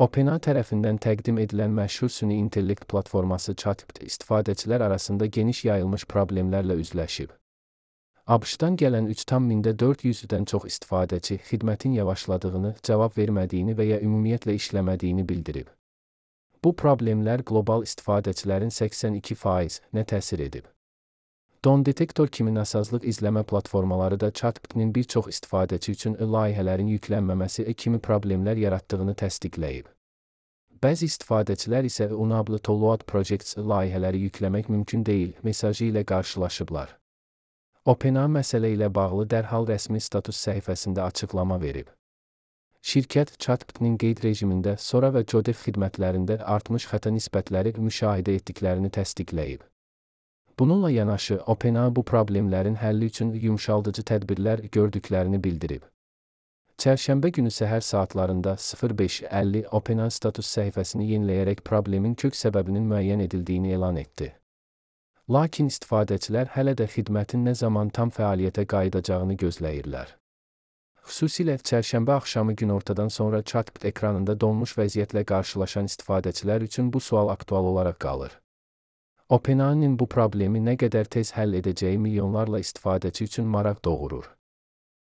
OpenAI tərəfindən təqdim edilən məşhur süni intellekt platforması ChatGPT istifadəçilər arasında geniş yayılmış problemlərlə üzləşib. ABŞ-dan gələn 3,400-dən çox istifadəçi xidmətin yavaşladığını, cavab vermədiyini və ya ümumiyyətlə işləmədiyini bildirib. Bu problemlər qlobal istifadəçilərin 82%-nə təsir edib. DonDetector kimi nasazlıq izləmə platformaları da ChatGPT-nin bir çox istifadəçi üçün layihələrin yüklənməməsi kimi problemlər yaratdığını təsdiqləyib. Bəzi istifadəçilər isə Unable to Load Projects layihələri yükləmək mümkün deyil mesajı ilə qarşılaşıblar. OpenAI məsələ ilə bağlı dərhal rəsmi status səhifəsində açıqlama verib. Şirkət ChatGPT-nin qeyd rejimində Sora və Jodef xidmətlərində artmış xəta nisbətləri müşahidə etdiklərini təsdiqləyib. Bununla yanaşı, OpenAI bu problemlərin həlli üçün yumşaldıcı tədbirlər gördüklərini bildirib. Çərşənbə günü səhər saatlarında 05:50 OpenAI status səhifəsini yeniləyərək problemin kök səbəbinin müəyyən edildiyini elan etdi. Lakin istifadəçilər hələ də xidmətin nə zaman tam fəaliyyətə qayıdacağını gözləyirlər. Xüsusilə çərşənbə axşamı günortadan sonra ChatGPT ekranında donmuş vəziyyətlə qarşılaşan istifadəçilər üçün bu sual aktual olaraq qalır. OpenAI-nin bu problemi nə qədər tez həll edəcəyi milyonlarla istifadəçi üçün maraq doğurur.